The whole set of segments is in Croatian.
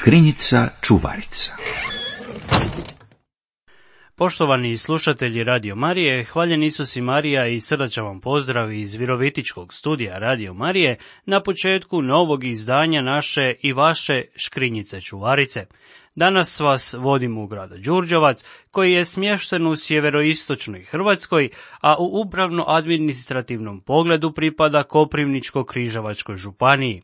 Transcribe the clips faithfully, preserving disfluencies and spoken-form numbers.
Škrinjica čuvarica. Poštovani slušatelji Radio Marije, hvaljen Isus i Marija i srdačan vam pozdrav iz Virovitičkog studija Radio Marije na početku novog izdanja naše i vaše Škrinjice čuvarice. Danas vas vodimo u grad Đurđevac, koji je smješten u sjeveroistočnoj Hrvatskoj, a u upravno-administrativnom pogledu pripada Koprivničko-križevačkoj županiji.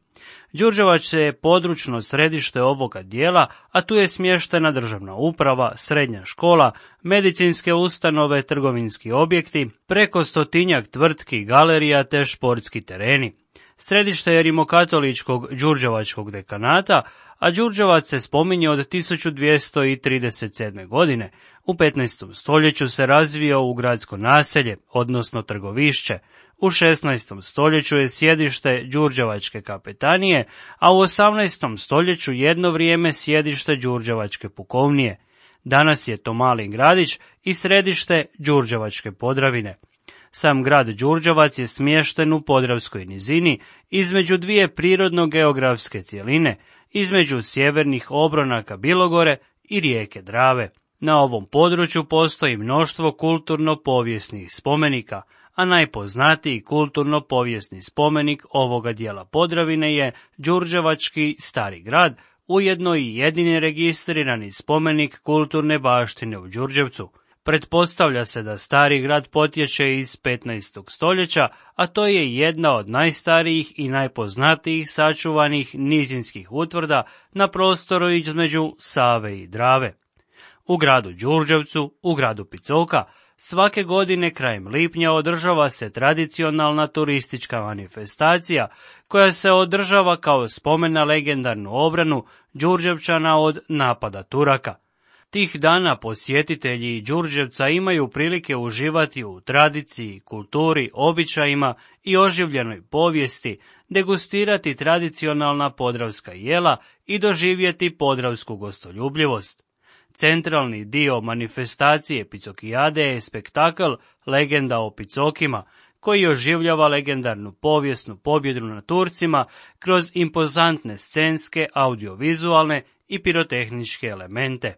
Đurđevac je područno središte ovoga dijela, a tu je smještena državna uprava, srednja škola, medicinske ustanove, trgovinski objekti, preko stotinjak tvrtki, galerija te športski tereni. Središte je rimokatoličkog đurđevačkog dekanata, a Đurđevac se spominje od tisuću dvjesto trideset sedme. godine. U petnaestom stoljeću se razvio u gradsko naselje, odnosno trgovišće. U šesnaestom stoljeću je sjedište Đurđevačke kapetanije, a u osamnaestom stoljeću jedno vrijeme sjedište Đurđevačke pukovnije. Danas je to mali gradić i središte Đurđevačke Podravine. Sam grad Đurđevac je smješten u Podravskoj nizini, između dvije prirodno-geografske cjeline, između sjevernih obronaka Bilogore i rijeke Drave. Na ovom području postoji mnoštvo kulturno-povijesnih spomenika, a najpoznatiji kulturno-povijesni spomenik ovoga dijela Podravine je Đurđevački Stari grad, ujedno i jedini registrirani spomenik kulturne baštine u Đurđevcu. Pretpostavlja se da Stari grad potječe iz petnaestog stoljeća, a to je jedna od najstarijih i najpoznatijih sačuvanih nizinskih utvrda na prostoru između Save i Drave. U gradu Đurđevcu, u gradu Picoka, svake godine krajem lipnja održava se tradicionalna turistička manifestacija koja se održava kao spomen na legendarnu obranu Đurđevčana od napada Turaka. Tih dana posjetitelji Đurđevca imaju prilike uživati u tradiciji, kulturi, običajima i oživljenoj povijesti, degustirati tradicionalna podravska jela i doživjeti podravsku gostoljubljivost. Centralni dio manifestacije Picokijade je spektakl Legenda o Picokima, koji oživljava legendarnu povijesnu pobjedu na Turcima kroz impozantne scenske, audiovizualne i pirotehničke elemente.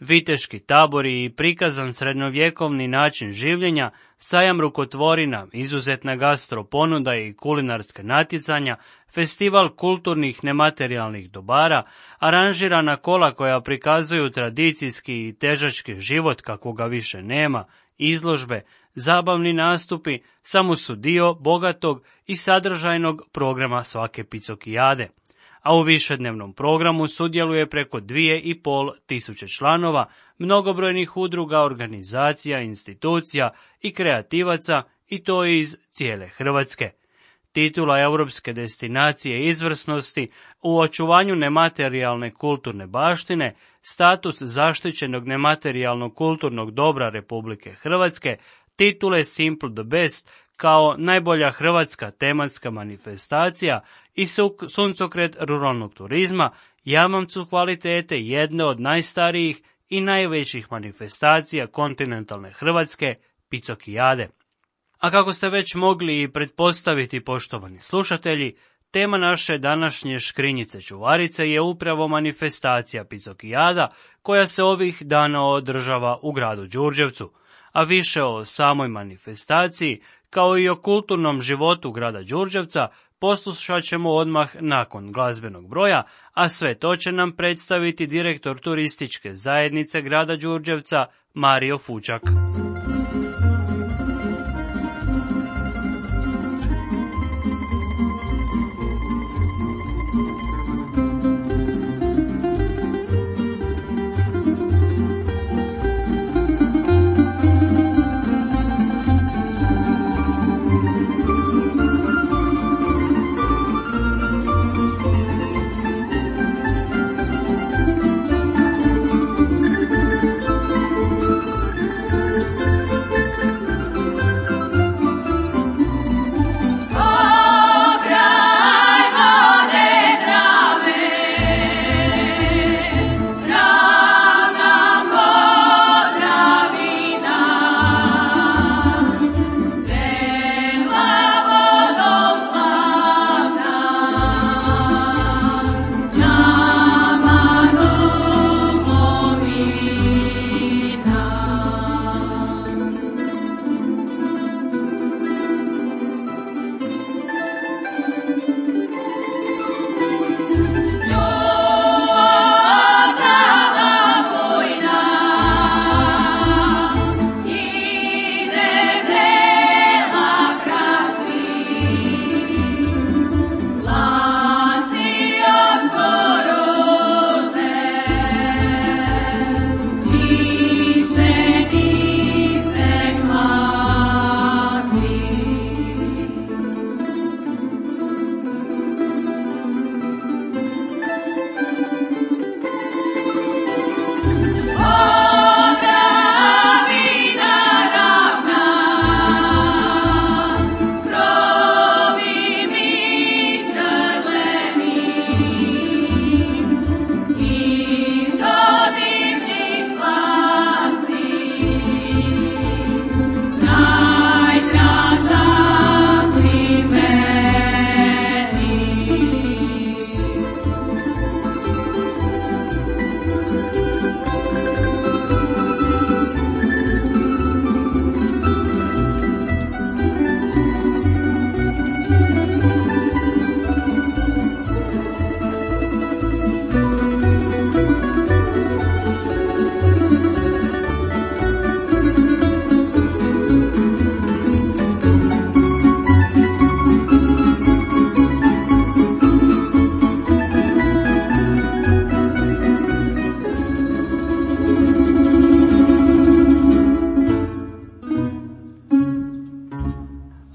Viteški tabori i prikazan srednjovjekovni način življenja, sajam rukotvorina, izuzetna gastro ponuda i kulinarska natjecanja, festival kulturnih nematerijalnih dobara, aranžirana kola koja prikazuju tradicijski i težački život kakvoga više nema, izložbe, zabavni nastupi samo su dio bogatog i sadržajnog programa svake Picokijade. A u višednevnom programu sudjeluje preko dvije i pol tisuće članova, mnogobrojnih udruga, organizacija, institucija i kreativaca, i to iz cijele Hrvatske. Titula europske destinacije izvrsnosti u očuvanju nematerijalne kulturne baštine, status zaštićenog nematerijalnog kulturnog dobra Republike Hrvatske, titule Simple the Best kao najbolja hrvatska tematska manifestacija i suncokret ruralnog turizma, jamamcu kvalitete jedne od najstarijih i najvećih manifestacija kontinentalne Hrvatske, Picokijade. A kako ste već mogli i pretpostaviti, poštovani slušatelji, tema naše današnje Škrinjice čuvarice je upravo manifestacija Picokijada koja se ovih dana održava u gradu Đurđevcu, a više o samoj manifestaciji kao i o kulturnom životu grada Đurđevca poslušat ćemo odmah nakon glazbenog broja, a sve to će nam predstaviti direktor turističke zajednice grada Đurđevca Mario Fučak.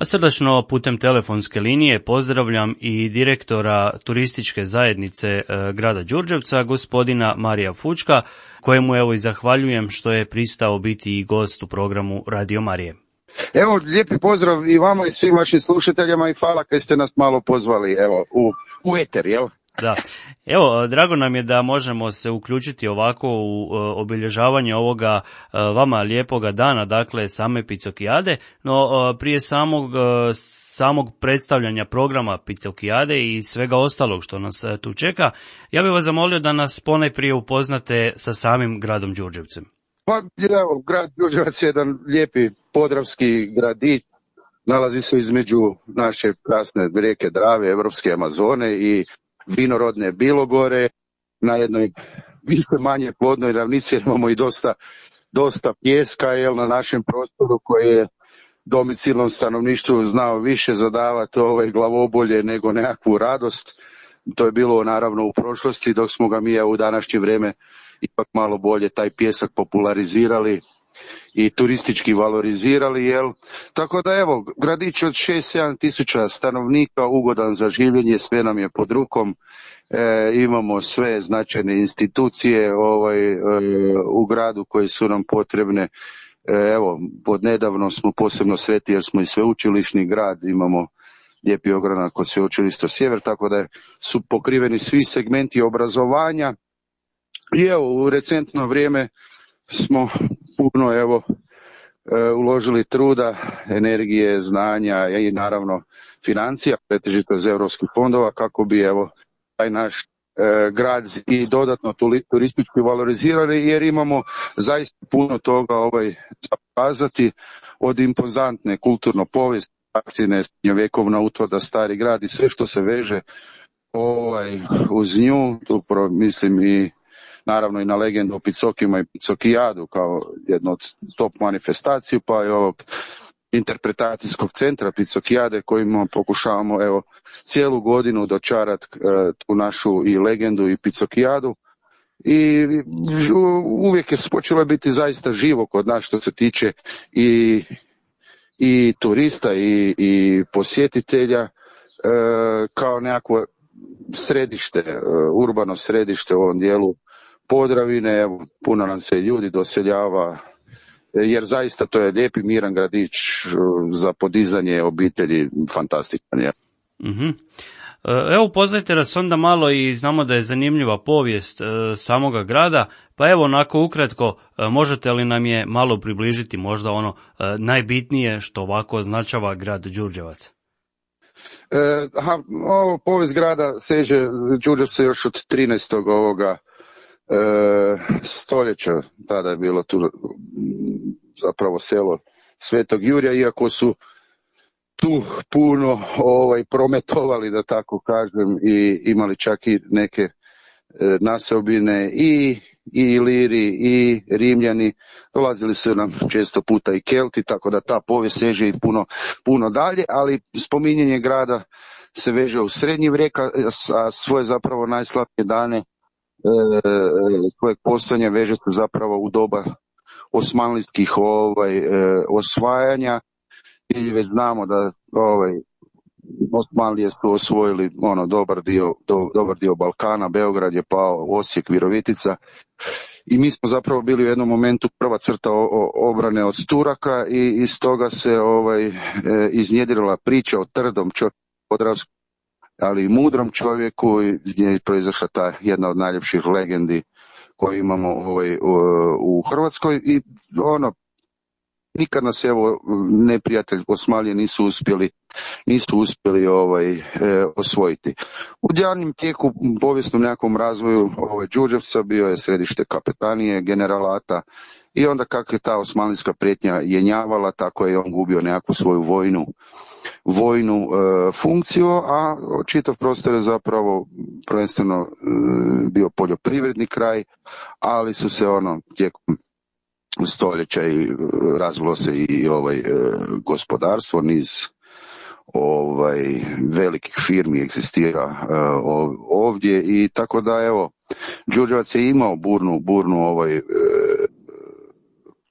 A srdačno putem telefonske linije pozdravljam i direktora turističke zajednice e, grada Đurđevca, gospodina Marija Fučka, kojemu evo i zahvaljujem što je pristao biti i gost u programu Radio Marije. Evo, lijepi pozdrav i vama i svim vašim slušateljima i hvala kad ste nas malo pozvali, evo, u, u eter, jel? Da. Evo, drago nam je da možemo se uključiti ovako u uh, obilježavanje ovoga uh, vama lijepoga dana, dakle same Picokijade, no uh, prije samog, uh, samog predstavljanja programa Picokijade i svega ostalog što nas uh, tu čeka, ja bih vas zamolio da nas ponajprije upoznate sa samim gradom Đurđevcem. Pa, evo, grad Đurđevac je jedan lijepi podravski gradić, nalazi se između naše krasne rijeke Drave, Evropske Amazone i vinorodne Bilogore, na jednoj više manje plodnoj ravnici, jer imamo i dosta, dosta pijeska, jel, na našem prostoru koji je domicilnom stanovništvu znao više zadavati ovaj glavobolje nego nekakvu radost. To je bilo naravno u prošlosti, dok smo ga mi u današnje vrijeme ipak malo bolje taj pijesak popularizirali i turistički valorizirali, jel? Tako da evo, gradić od šest sedam tisuća stanovnika, ugodan za življenje, sve nam je pod rukom, e, imamo sve značajne institucije ovaj, e, u gradu koje su nam potrebne. E, evo, pod nedavno smo posebno sretni jer smo i sveučilišni grad, imamo lijepi ogranak kod Sveučilišta Sjever, tako da su pokriveni svi segmenti obrazovanja. I evo, u recentno vrijeme smo puno evo uložili truda, energije, znanja i naravno financija, pretežito iz europskih fondova, kako bi evo taj naš e, grad i dodatno turistički valorizirali, jer imamo zaista puno toga ovaj pokazati, od impozantne kulturno povijesne baštine, srednjovjekovna utvrda Stari grad i sve što se veže ovaj uz nju, tu pro, mislim i naravno i na legendu o Picokima i Picokijadu kao jednu od top manifestaciju, pa i ovog interpretacijskog centra Picokijade kojima pokušavamo evo cijelu godinu dočarati e, tu našu i legendu i Picokijadu. I uvijek je počelo biti zaista živo kod nas što se tiče i, i turista i, i posjetitelja e, kao nekakvo središte, e, urbano središte u ovom dijelu Podravine, evo, puno nam se ljudi doseljava, jer zaista to je lijepi miran gradić za podizanje obitelji, fantastičan je. Mm-hmm. Evo, upoznajte nas onda malo i znamo da je zanimljiva povijest e, samoga grada, pa evo onako ukratko, e, možete li nam je malo približiti možda ono e, najbitnije što ovako označava grad Đurđevac? E, aha, ovo povijest grada seže, Đurđevac se još od trinaestog ovoga E, stoljeća, tada je bilo tu zapravo selo Svetog Jurija, iako su tu puno ovaj, prometovali, da tako kažem, i imali čak i neke e, naseobine i, i Iliri i Rimljani, dolazili su nam često puta i Kelti, tako da ta povijest seže i puno, puno dalje, ali spominjanje grada se veže u srednji vijek, a svoje zapravo najslabije dane svojeg postojanja veže se zapravo u doba osmanlijskih ovaj, e, osvajanja, i već znamo da ovaj, Osmanlije su osvojili ono, dobar, dio, do, dobar dio Balkana, Beograd je pao, Osijek, Virovitica, i mi smo zapravo bili u jednom momentu prva crta o, o, obrane od Turaka, i iz toga se ovaj, e, iznjedrila priča o trdom čovjeku podravskom, ali i mudrom čovjeku, iz nje je proizašla ta jedna od najljepših legendi koju imamo ovaj, u, u Hrvatskoj, i ono, nikad nas evo neprijatelj Osmanlije nisu uspjeli, nisu uspjeli ovaj, e, osvojiti. U daljnjem tijeku, povijesnom nekakvom razvoju ovaj, Đurđevca bio je središte kapetanije, generalata, i onda kako je ta osmanlijska prijetnja jenjavala, tako je on gubio nekakvu svoju vojnu vojnu e, funkciju, a čitav prostor je zapravo prvenstveno e, bio poljoprivredni kraj, ali su se ono tijekom stoljeća i razvilo se i ovaj e, gospodarstvo, niz ovaj velikih firmi egzistira e, ovdje, i tako da evo Đurđevac je imao burnu burnu ovaj e,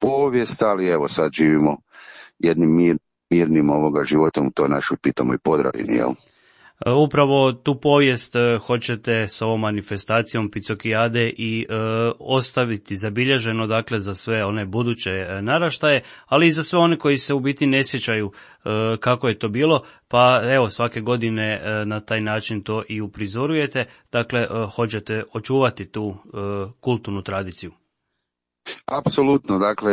povijest, ali evo sad živimo jednim mir, mirnim ovoga životom u toj našoj pitomoj Podravini, jel? Upravo tu povijest hoćete s ovom manifestacijom Picokijade i e, ostaviti zabilježeno, dakle, za sve one buduće naraštaje, ali i za sve one koji se u biti ne sjećaju e, kako je to bilo, pa evo svake godine e, na taj način to i uprizorujete, dakle, e, hoćete očuvati tu e, kulturnu tradiciju. Apsolutno, dakle,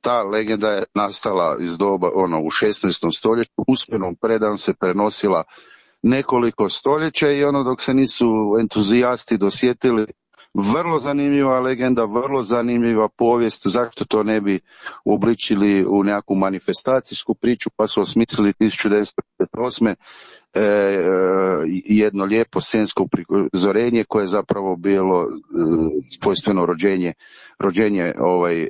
ta legenda je nastala iz doba, ono, u šesnaestom stoljeću, usmenom predajom se prenosila nekoliko stoljeća i ono dok se nisu entuzijasti dosjetili, vrlo zanimljiva legenda, vrlo zanimljiva povijest, zašto to ne bi uobličili u nekakvu manifestacijsku priču, pa su osmislili tisuću devetsto pedeset osme E, e, jedno lijepo scensko prizorenje koje je zapravo bilo e, svojstveno rođenje, rođenje ovaj, e,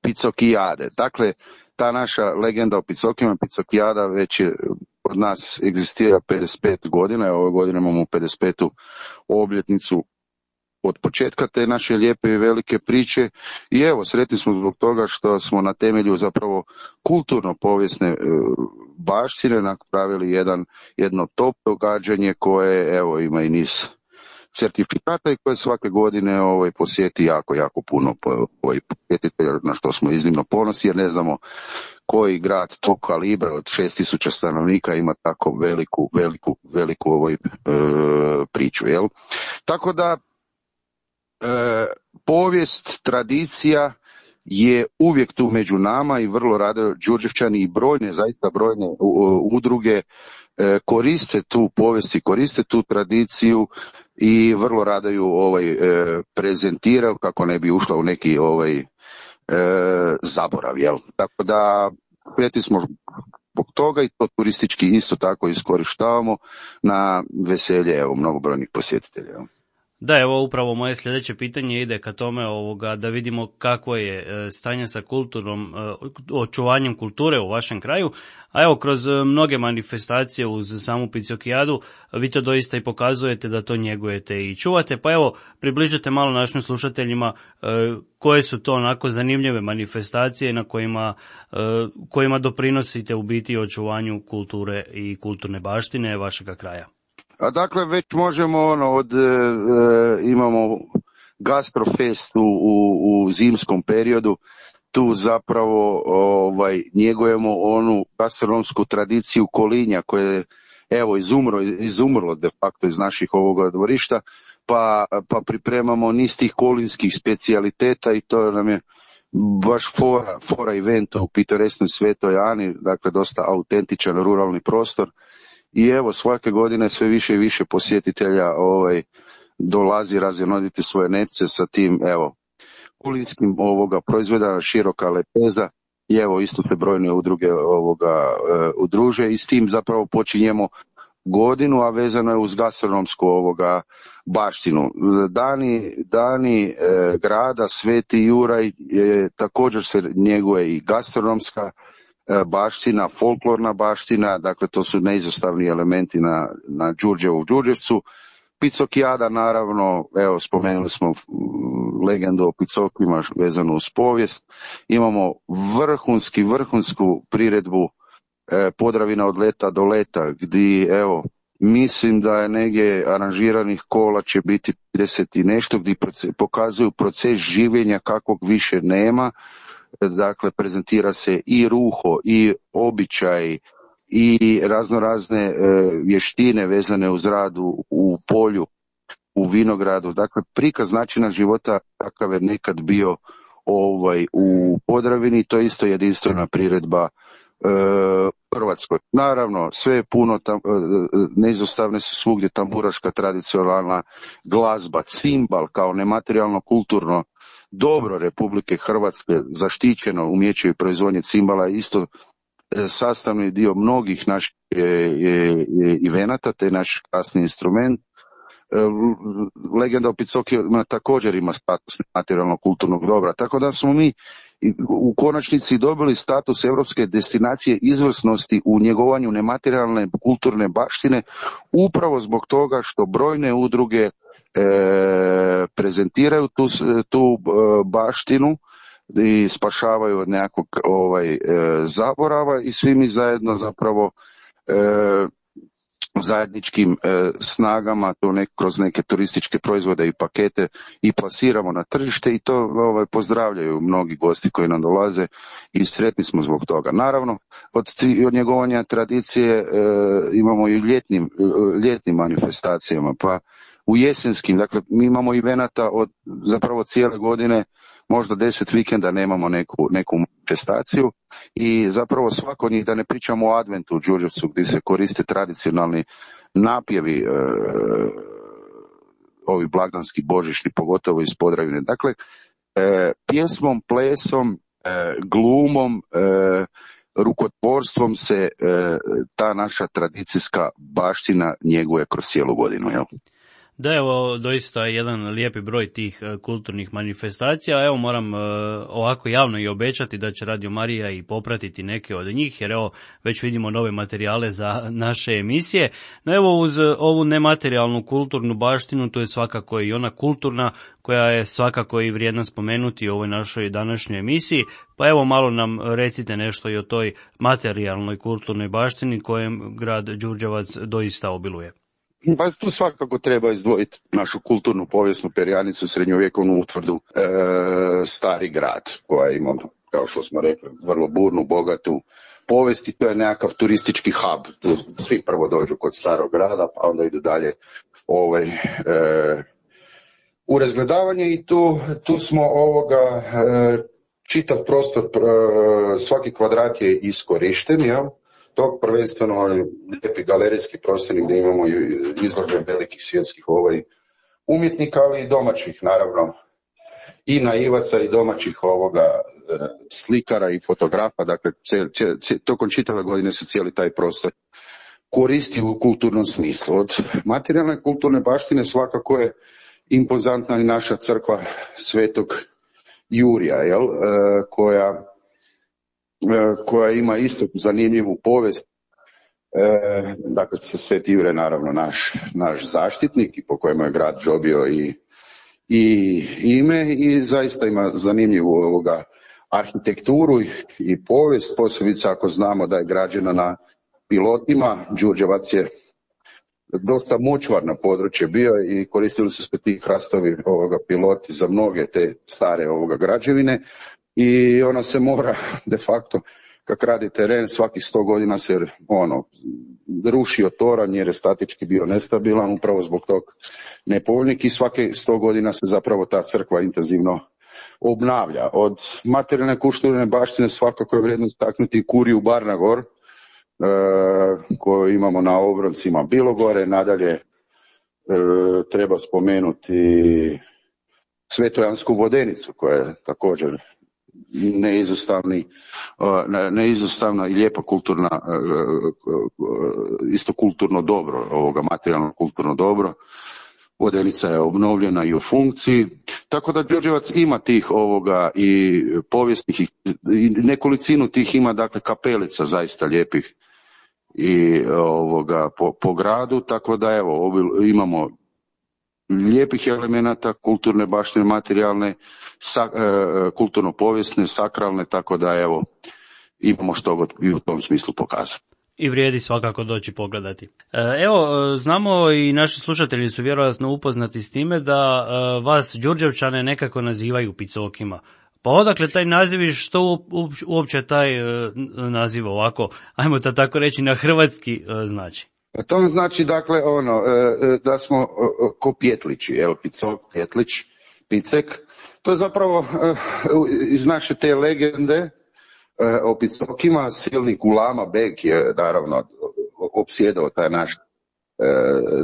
Picokijade. Dakle, ta naša legenda o Picokijama, Picokijada već je od nas egzistira pedeset pet godina, ove godine imamo pedeset petu obljetnicu od početka te naše lijepe i velike priče i evo, sretni smo zbog toga što smo na temelju zapravo kulturno-povijesne e, baštine napravili jedan, jedno top događanje koje evo ima i niz certifikata i koje svake godine ovaj, posjeti jako, jako puno ovaj, posjetitelja, na što smo iznimno ponosni jer ne znamo koji grad tog kalibra od šest tisuća stanovnika ima tako veliku, veliku, veliku ovaj, e, priču. Jel? Tako da E, povijest, tradicija je uvijek tu među nama i vrlo rado Đurđevčani i brojne, zaista brojne u, udruge e, koriste tu povijest i koriste tu tradiciju i vrlo rado ju ovaj, e, prezentiraju kako ne bi ušla u neki ovaj, e, zaborav. Jel? Tako da prijeti smo zbog toga i to turistički isto tako iskorištavamo na veselje evo, mnogobrojnih posjetitelja. Jel? Da, evo upravo moje sljedeće pitanje ide ka tome ovoga, da vidimo kakvo je stanje sa kulturnom, očuvanjem kulture u vašem kraju, a evo kroz mnoge manifestacije uz samu Picokijadu vi to doista i pokazujete da to njegujete i čuvate, pa evo približite malo našim slušateljima koje su to onako zanimljive manifestacije na kojima, kojima doprinosite u biti očuvanju kulture i kulturne baštine vašega kraja. A dakle, već možemo, ono, od, e, imamo gastrofest u, u, u zimskom periodu, tu zapravo ovaj, njegujemo onu gastronomsku tradiciju kolinja koje je, evo, izumro, izumrlo de facto iz naših ovoga dvorišta, pa, pa pripremamo niz tih kolinskih specijaliteta i to nam je baš fora, fora eventa u pitoresnoj Svetoj Ani, dakle, dosta autentičan ruralni prostor. I evo, svake godine sve više i više posjetitelja ovaj, dolazi razvjenoditi svoje nepce sa tim, evo, kulinskim ovoga proizvoda, široka lepeza i evo, isto se brojne udruge ovoga e, udruže i s tim zapravo počinjemo godinu, a vezano je uz gastronomsku ovoga baštinu. Dani, dani e, grada Sveti Juraj e, također se njeguje i gastronomska baština, folklorna baština, dakle to su neizostavni elementi na, na Đurđevu Đurđevcu. Picokijada naravno, evo spomenuli smo legendu o Picokima vezanu uz povijest. Imamo vrhunski, vrhunsku priredbu eh, Podravina od leta do leta, gdje evo, mislim da je negdje aranžiranih kola će biti trideset i nešto, gdje pokazuju proces življenja kakvog više nema. Dakle, prezentira se i ruho, i običaj, i razno razne e, vještine vezane uz rad u, u polju, u vinogradu. Dakle, prikaz načina života kakav je nekad bio ovaj, u Podravini, to je isto jedinstvena priredba e, Hrvatskoj. Naravno, sve je puno, tam, e, neizostavne su svugdje tamburaška tradicionalna glazba, cimbal kao nematerijalno kulturno dobro Republike Hrvatske, zaštićeno umijeće i proizvodnje cimbala, isto sastavni dio mnogih naših evenata, te naš kasni instrument. Legenda o Picokijima također ima status materijalno kulturnog dobra, tako da smo mi u konačnici dobili status europske destinacije izvrsnosti u njegovanju nematerijalne kulturne baštine, upravo zbog toga što brojne udruge E, prezentiraju tu, tu baštinu i spašavaju od nekakvog ovaj, e, zaborava i svi mi zajedno zapravo e, zajedničkim e, snagama to nek, kroz neke turističke proizvode i pakete i plasiramo na tržište i to ovaj, pozdravljaju mnogi gosti koji nam dolaze i sretni smo zbog toga. Naravno, od, od njegovanja tradicije e, imamo i ljetnim, ljetnim manifestacijama, pa u jesenskim, dakle mi imamo evenata od zapravo cijele godine, možda deset vikenda nemamo neku, neku manifestaciju i zapravo svako od njih, da ne pričamo o adventu u Đurđevcu gdje se koriste tradicionalni napjevi, e, ovi blagdanski, božićni, pogotovo iz Podravine. Dakle, e, pjesmom, plesom, e, glumom, e, rukotvorstvom se e, ta naša tradicijska baština njeguje kroz cijelu godinu, jel? Da, evo, doista jedan lijepi broj tih kulturnih manifestacija. Evo, moram ovako javno i obećati da će Radio Marija i popratiti neke od njih, jer evo, već vidimo nove materijale za naše emisije. No evo, uz ovu nematerijalnu kulturnu baštinu, to je svakako i ona kulturna, koja je svakako i vrijedna spomenuti u ovoj našoj današnjoj emisiji. Pa evo, malo nam recite nešto i o toj materijalnoj kulturnoj baštini kojem grad Đurđevac doista obiluje. Pa tu svakako treba izdvojiti našu kulturnu povijesnu perjanicu, srednjovjekovnu utvrdu, e, Stari grad, koja ima, kao što smo rekli, vrlo burnu, bogatu povijest i to je nekakav turistički hub. Tu svi prvo dođu kod Starog grada, pa onda idu dalje ovaj, e, u razgledavanje i tu, tu smo ovoga, e, čitav prostor, e, svaki kvadrat je iskorišten, jel? Tog prvenstveno lijepi galerijski prostori gdje imamo izložbe velikih svjetskih ovaj, umjetnika, ali i domaćih, naravno, i naivaca i domaćih ovoga slikara i fotografa, dakle, cijel, cijel, cijel, tokom čitave godine se cijeli taj prostor koristi u kulturnom smislu. Od materijalne kulturne baštine svakako je impozantna i naša crkva Svetog Jurija, jel, koja koja ima isto zanimljivu povijest. E, dakle, Sveti Jure naravno naš, naš zaštitnik i po kojemu je grad dobio i, i ime i zaista ima zanimljivu ovoga arhitekturu i, i povijest, posebice ako znamo da je građena na pilotima. Đurđevac je dosta močvarno područje bio i koristili su se ti hrastovi ovoga piloti za mnoge te stare ovoga građevine. I ona se mora de facto, kak radi teren, svaki sto godina se ono, rušio toranj jer je statički bio nestabilan, upravo zbog tog nepovoljnik i svake sto godina se zapravo ta crkva intenzivno obnavlja. Od materijalne kulturne baštine svakako je vrijedno istaknuti kuriju Barnagor, e, koju imamo na obroncima Bilogore, nadalje e, treba spomenuti Svetojansku vodenicu koja je također neizostavni, neizostavna i lijepa kulturna, isto kulturno dobro, ovoga materijalno kulturno dobro. Vodenica je obnovljena i u funkciji, tako da Đurđevac ima tih ovoga i povijesnih i nekolicinu tih ima, dakle, kapelica zaista lijepih i ovoga po, po gradu, tako da evo imamo lijepih elemenata kulturne baštine, materijalne, sa, e, kulturno-povijesne, sakralne, tako da evo imamo što god i u tom smislu pokazati. I vrijedi svakako doći pogledati. Evo, znamo i naši slušatelji su vjerojatno upoznati s time da vas Đurđevčane nekako nazivaju picokima. Pa odakle taj naziv i što uopće taj naziv ovako, ajmo to tako reći, na hrvatski znači? To znači, dakle, ono, da smo ko Pjetlići, evo, Picok, Pjetlić, Picek. To je zapravo iz naše te legende o Picokima. Silnik Ulama Beg je naravno opsjedao taj naš,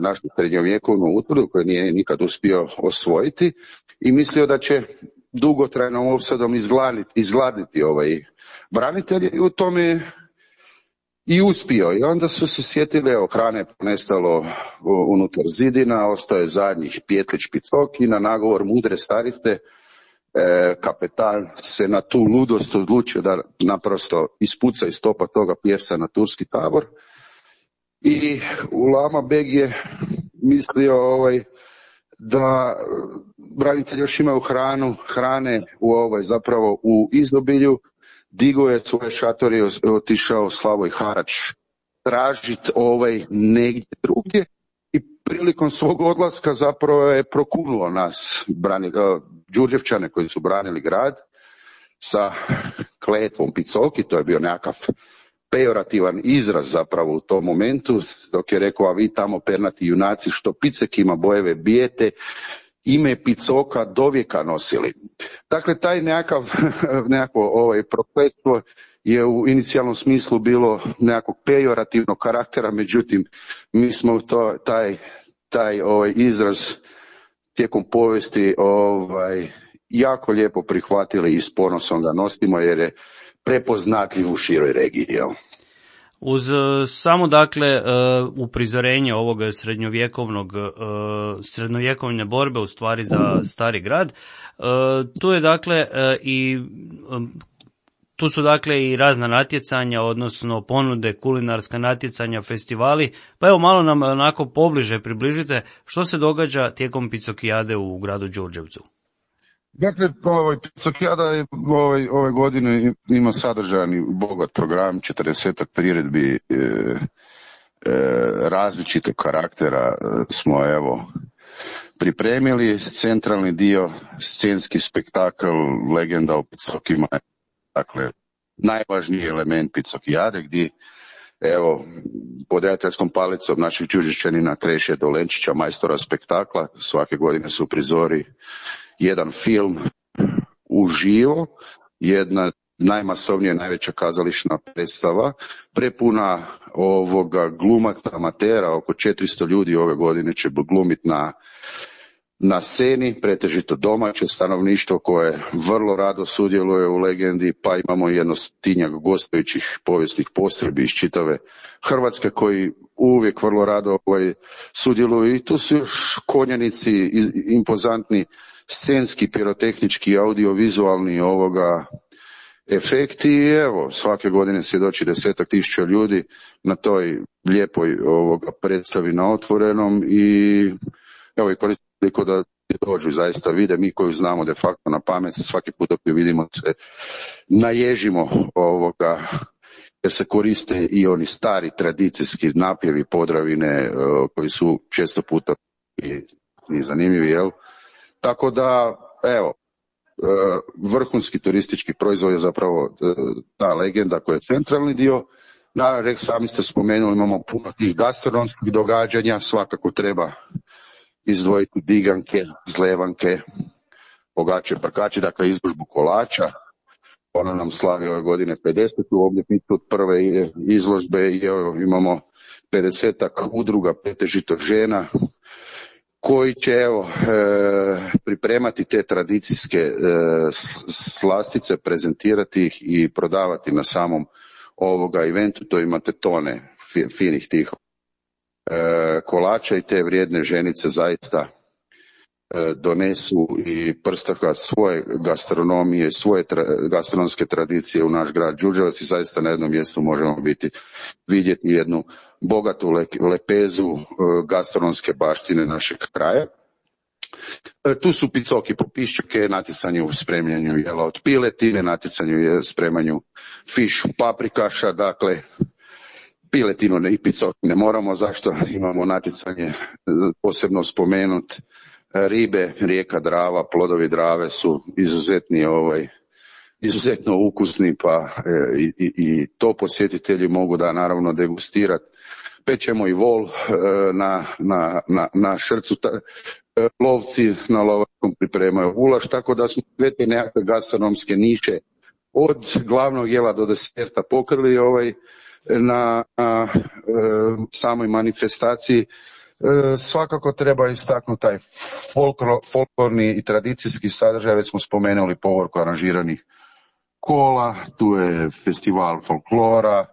našu srednjovjekovnu utvrdu koju nije nikad uspio osvojiti i mislio da će dugotrajnom opsadom izgladniti, izgladniti ovaj branitelje i u tome i uspio. I onda su se sjetili, evo, hrane ponestalo unutar zidina, ostao je zadnjih Pjetlić Picok i na nagovor mudre starice e, kapetan se na tu ludost odlučio da naprosto ispuca iz topa toga pjevca na turski tabor i Ulama Beg je mislio ovaj, da branitelji još imaju hranu, hrane u ovoj zapravo u izobilju. Digo je svoje šatori, otišao Slavoj Harač tražiti ovaj negdje drugdje i prilikom svog odlaska zapravo je prokunuo nas, brani, Đurđevčane koji su branili grad, sa kletvom Picocki, to je bio nekakav pejorativan izraz zapravo u tom momentu, dok je rekao, a vi tamo pernati junaci što Picekima bojeve bijete, ime Picoka dovijeka nosili. Dakle, taj nekakav, nekako ovaj prokletstvo je u inicijalnom smislu bilo nekakvog pejorativnog karaktera, međutim, mi smo to, taj, taj ovaj izraz tijekom povijesti ovaj, jako lijepo prihvatili i s ponosom ga nosimo jer je prepoznatljiv u široj regiji. Jel? Uz samo dakle uprizorenje ovog srednjovjekovnog srednjovjekovne borbe u stvari za Stari grad, tu je dakle i tu su dakle i razna natjecanja, odnosno ponude, kulinarska natjecanja, festivali, pa evo malo nam onako pobliže približite što se događa tijekom Picokijade u gradu Đurđevcu. Dakle, ovaj, Picokijada je ovaj, ove godine ima sadržajan i bogat program, četrdesetak priredbi e, e, različitog karaktera smo evo pripremili. Centralni dio, scenski spektakl, legenda o Picokima, dakle, najvažniji element Picokijade gdje evo, pod redateljskom palicom naših Đurđevčanina Kreše Dolenčića, majstora spektakla, svake godine su prizori jedan film uživo, jedna najmasovnija, najveća kazališna predstava, prepuna ovoga glumaca amatera, oko četiristo ljudi ove godine će glumiti na, na sceni, pretežito domaće stanovništvo koje vrlo rado sudjeluje u legendi, pa imamo jedno stotinjak gostujućih povijesnih postrojbi iz čitave Hrvatske koji uvijek vrlo rado ovaj, sudjeluju i tu su još konjanici impozantni, scenski, pirotehnički, audiovizualni ovoga efekti i evo, svake godine svjedoči desetak tisuća ljudi na toj lijepoj ovoga predstavi na otvorenom i evo i koristim priliku da dođu zaista vide, mi koju znamo de facto na pamet, se svaki put dok je vidimo se naježimo ovoga jer se koriste i oni stari tradicijski napjevi Podravine koji su često puta i, i zanimljivi, jel? Tako da, evo, vrhunski turistički proizvod je zapravo ta legenda koja je centralni dio. Naravno, sami ste spomenuli, imamo puno tih gastronomskih događanja, svakako treba izdvojiti diganke, zlevanke, pogače, prkače, dakle izložbu kolača. Ona nam slavi ove godine pedesetu obljetnicu od prve izložbe i evo, imamo pedesetak udruga, pretežito žena, koji će evo, e, pripremati te tradicijske e, slastice, prezentirati ih i prodavati na samom ovoga eventu. To imate tone fi, finih tih e, kolača i te vrijedne ženice zaista e, donesu i prstaka svoje gastronomije, svoje tra, gastronomske tradicije u naš grad Đurđevac i zaista na jednom mjestu možemo biti vidjeti jednu bogatu lepezu gastronomske baštine našeg kraja. Tu su Picocki po piščuke, natjecanje u spremljanju jela od piletine, natjecanje u spremanju fiš paprikaša, dakle piletinu i Picocki ne moramo, zašto imamo natjecanje posebno spomenut ribe, rijeka Drava, plodovi Drave su izuzetni ovaj izuzetno ukusni, pa e, i, i to posjetitelji mogu da naravno degustirati. Pečemo i vol e, na, na, na, na šrcu, ta, e, lovci na lovačkom pripremaju gulaš, tako da smo sve te nekakve gastronomske niše od glavnog jela do deserta pokrili ovaj, na, na e, samoj manifestaciji. E, svakako treba istaknuti taj folklor, folklorni i tradicijski sadržaj, već smo spomenuli povorku aranžiranih kola, tu je festival folklora,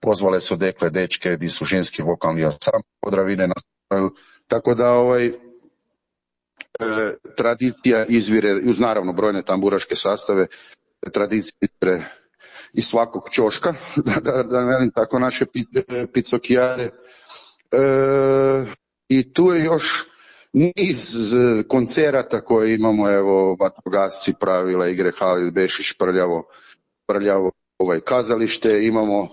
pozvale su dekle, dečke, gdje su ženski vokalni ansambl Podravine nastupaju, tako da ovaj, e, tradicija izvire, uz naravno brojne tamburaške sastave, tradicija izvire iz svakog ćoška, da, da, da velim tako naše Picokijade. E, I tu je još niz koncerata koje imamo, evo, vatrogasci, pravila igre, Halid Bešić, prljavo, prljavo ovaj kazalište, imamo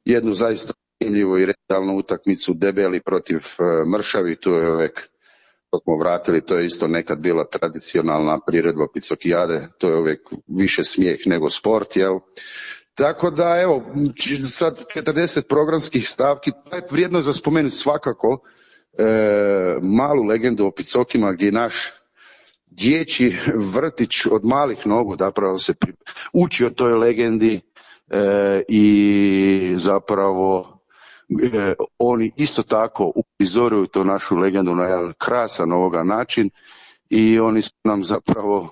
jednu zaista zanimljivu i realnu utakmicu Debeli protiv uh, Mršavi, tu je uvijek, to smo vratili, to je isto nekad bila tradicionalna priredba Picokijade, to je uvijek više smijeh nego sport, jel? Tako da, evo, sad četrdeset programskih stavki, to je vrijedno za spomenuti svakako e, malu legendu o Picokima gdje naš dječji vrtić od malih nogu zapravo se pri... uči o toj legendi e, i zapravo e, oni isto tako uprizoruju tu našu legendu na jedan krasan ovoga način i oni su nam zapravo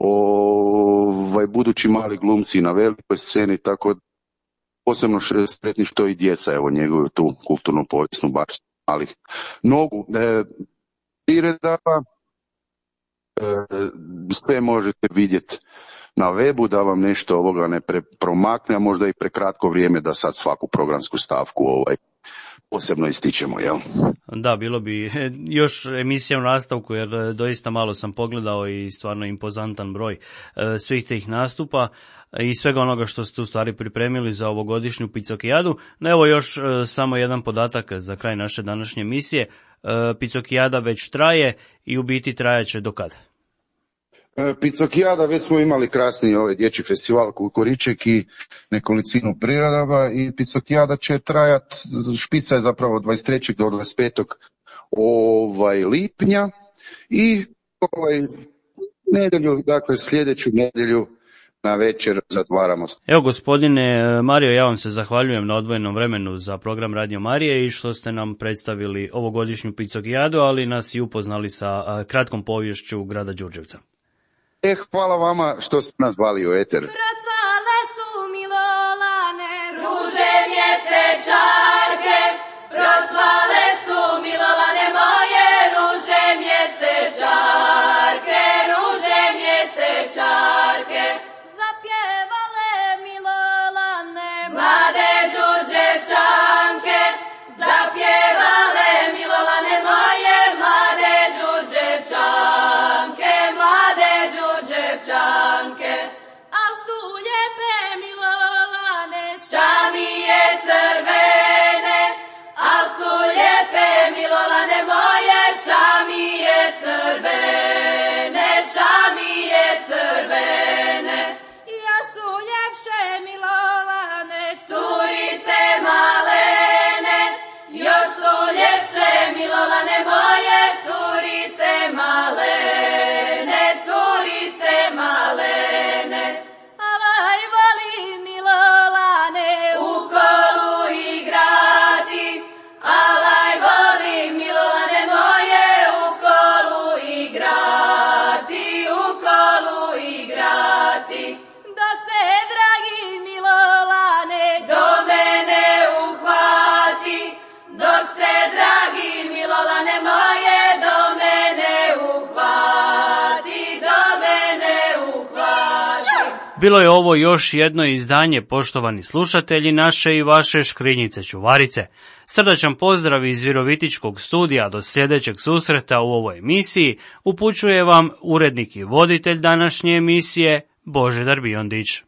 ovaj, budući mali glumci na velikoj sceni, tako posebno sretni što i djeca evo njeguju tu kulturnu povijesnu baštinu malih nogu. E, priredaba, e, sve možete vidjeti na webu, da vam nešto ovoga ne pre, promakne, a možda i prekratko vrijeme da sad svaku programsku stavku ovaj posebno ističemo, jel? Da, bilo bi još emisija u nastavku, jer doista malo sam pogledao i stvarno impozantan broj svih tih nastupa i svega onoga što ste u stvari pripremili za ovogodišnju Picokijadu. No evo još samo jedan podatak za kraj naše današnje emisije. Picokijada već traje i u biti trajaće do kada? Picokijada, već smo imali krasni ovaj dječji festival Kukuriček i nekolicinu priredaba i Picokijada će trajati, špica je zapravo od dvadeset trećeg do dvadeset petog ovaj lipnja i ovaj nedjelju, dakle sljedeću nedjelju na večer zatvaramo. Evo gospodine Mario, ja vam se zahvaljujem na odvojenom vremenu za program Radio Marije i što ste nam predstavili ovogodišnju Picokijadu, ali nas i upoznali sa kratkom poviješću grada Đurđevca. E, hvala vama što ste nas zvali u eter. Procvale su milolane, ruže mjesečarke, procvale su milolane moje, ruže mjesečarke, ruže mjesečarke. Zapjevale milolane, mlade Đurđevčanke, zapjevale milolane moje, mlade Đurđevčanke, mlade Đurđevčanke. Al su lijepe milolane, šamije crvene, al su lijepe milolane moje, šamije crvene, šamije crvene. Još su ljepše milolane, curice malene, još su ljepše milolane moje, curice malene, curice malene. Alaj volim milolane u kolu igrati, alaj volim milolane moje u kolu igrati, u kolu igrati. Dok se dragi milolane do mene uhvati, dok se dragi milolane moje do mene uhvati, do mene uhvati. Bilo je ovo još jedno izdanje, poštovani slušatelji, naše i vaše Škrinjice čuvarice. Srdačan pozdrav iz Virovitičkog studija, do sljedećeg susreta u ovoj emisiji upućuje vam urednik i voditelj današnje emisije Božidar Biondić.